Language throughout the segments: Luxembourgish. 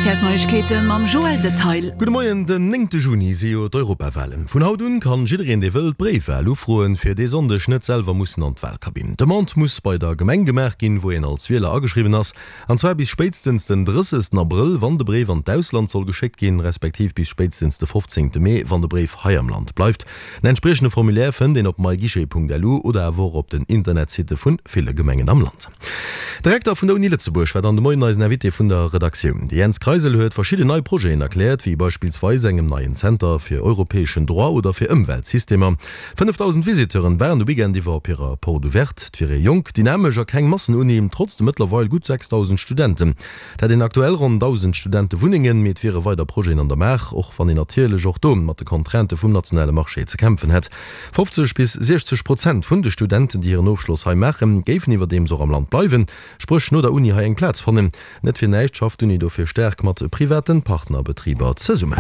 Rtl Neiegkeete mam Joël Detail. Gudde Moien, Den néngte Juni si jo d'Europawalen. Vun haut un kann jiddereen dee wëll d'Bréifwal ufroen, fir dee Sonndeg net selwer mussen an d'Walkabinn. D'Demande muss bei der Gemeng gemaach ginn, wou een als Wieler ageschriwwen ass, an zwar bis spéitstens den 30 Abrëll, wann de Bréif an d'Ausland soll geschéckt ginn, respektiv bis spéitstens de 15 Mee, wann de Bréif hei am Land bleift. En entspriechende Formulaire fënnt een op myguichet.lu oder awer och op den Internetsitte vun ville Gemengen am Land. De Rektor vun der Uni Lëtzebuerg war dann de Moien eisen Invité vun der Redaktioun. De Jens Kreisel huet verschidden nei Projeten erkläert, wéi beispillsweis engem neien Zenter fir europäeschen Droit oder fir Ëmweltsystemer. 5.000 Visiteuren waren de Weekend iwwer op hirer Porte ouverte. Et wier ee jonk, dynamesch a keng Massenuni, trotz de mëttlerweil gutt 6.000 Studenten. Et hätt een aktuell ronn 1.000 Studentewunnengen, mee et wiere weider Projeten an der Maach, och wann een natierlech och do mat de Contraintë vum nationale Marché ze kämpfen hätt. 50 bis 60 Prozent vun de Studenten, déi hiren Ofschloss hei maachen, géifen iwwerdeems och am Land bleiwen, spréch no der Uni hei eng Plaz fannen. Net fir näischt schafft d'Uni dofir staark mat private Partnerbetriber zesummen.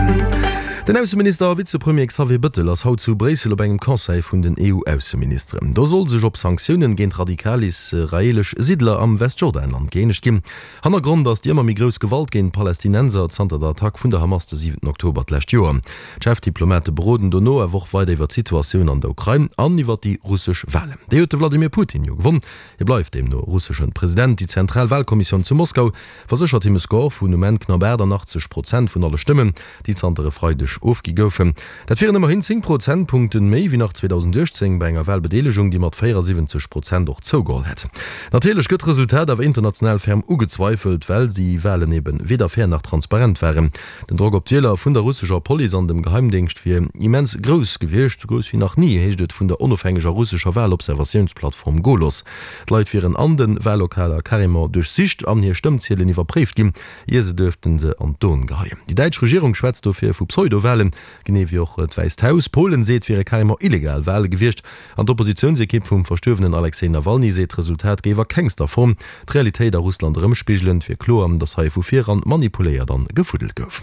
Den Ausseminister a Vizepremier Xavier Bëttel ass haut zu Bréissel op engem Conseil vun den EU-Ausseministeren. Do soll sech op Sanktiounen géint radikal israeelesch Siddler am Westjordanland gëeenegt ginn. Hannergrond ass déi ëmmer méi grouss Gewalt géint d'Palästinenser zanter der Attack vun der Hamas de siwenten Oktober d'lescht Joer. D'Chefdiplomate beroden dono awer och weider iwwer d'Situatioun an der Ukrain an iwwer déi russesch Walen. Déi huet de Wladimir Putin jo gewonn. Hie bleift deemno russeschen President. Déi zentral Walkommissioun zu Moskau verséchert him e Score vun um Enn knapp 88 Prozent vun alle Stëmmen, déi zanter e Freideg ofgi goufen. Dat wieren ëmmerhin 10 Prozentpunkten méi wéi nach 2018 bei enger Walbedeelegung, déi mat 74 Prozent och zougeholl hätt. Natierlech gëtt d'Resultat awer international ferm ugezweifelt, well déi Walen eben weder fair nach transparent waren. Den Drock op d'Wieler vun der russescher Police an dem Geheimdéngscht wier immens grouss gewiescht, sou grouss wéi nach ni, heescht et vun der onofhängeger russescher Walobservatiounsplattform Golos. D'Leit wieren an de Wallokaler carrément duerchsicht an hir Stëmmziedelen iwwerpréift ginn. Ier se duerften se an d'Urn geheien. Déi däitsch Regierung schwätzt dofir vu Pseudo-Walen, genee wéi och d'Wäisst Haus. Polen seet, et wiere carrément illegal Wale gewiescht. An d'Oppositiounsekipp vum verstuerwenen Alexej Nawalny seet, d'Resultat géif a kengster Form d'Realitéit a Russland erëmspigelen. Et wier kloer, datt hei vu viran manipuléiert an gefuddelt gouf.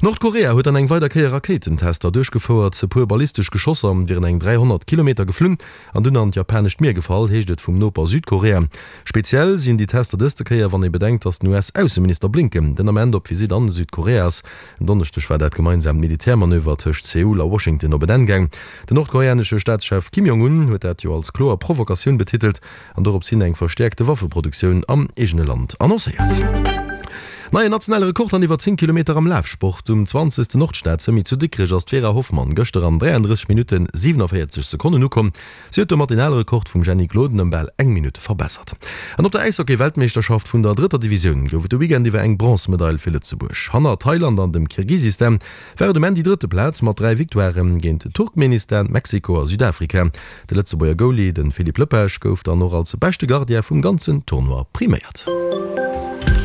Nordkorea huet an eng weider Kéier Rakéitentester duerchgefouert. E puer ballistesch Geschosser wieren eng 300 Kilometer geflunn an dunn an d'japanescht Mier gefall, heescht et vum Noper Südkorea. Speziell sinn déi Tester dëste Kéier, wann ee bedenkt, datt den US-Ausseminister Blinken den Ament op Visitt an Südkorea ass. En Donneschdeg war dat gemeinsaamt Militärmanöver tëscht Seoul a Washington op en Enn gaang. Den nordkoreanesche Staatschef Kim Jong-un huet dat jo als kloer Provokatioun betitelt an dorops hin eng verstäerkte Waffeproduktioun am eegene Land annoncéiert. Neien nationale Rekord an iwwer 10 Kilometer am Lafsport, Um 20. Nordstad-Semi zu Dikrech ass d'Vera Hoffmann gëschter an 33 Minutten 47 Sekonnen ukomm. Si huet domat den ale Rekord vum Jenny Gloden ëm bal eng Minutt verbessert. An op der Äishockey-Weltmeeschterschaft vun der drëtter Divisioun gouf et de Weekend iwwer eng Bronzemedail fir Lëtzebuerg. Hanner Thailand an dem Kirgisistan war et um Enn déi drëtte Plaz mat 3 Victoirë géint Turkmenistan, Mexiko a Südafrika. De Lëtzebuerger Goalie, de Philippe Lepage, gouf dann och als beschte Gardien vum ganzen Tournoi priméiert.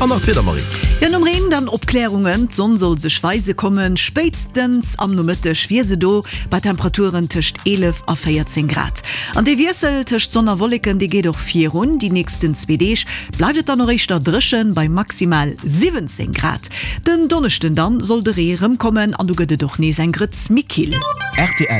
An nach d'Wieder, Marie. Jo, nom Reen dann Opklärungen, d'Sonn soll sech weise kommen, spéitstens am Nomëtteg wier se do, bei Temperaturen tëscht 11 a 14 Grad. An dee Wiessel tëscht Sonn a Wolleken, dee geet och virun. Déi nächsten zwee Deeg bleift et dann och éischter dréchen, bei maximal 17 Grad. Den Donneschden dann soll de Ree erëmkommen an du gëtt et och nees eng Grëtz méi kill. Rtl.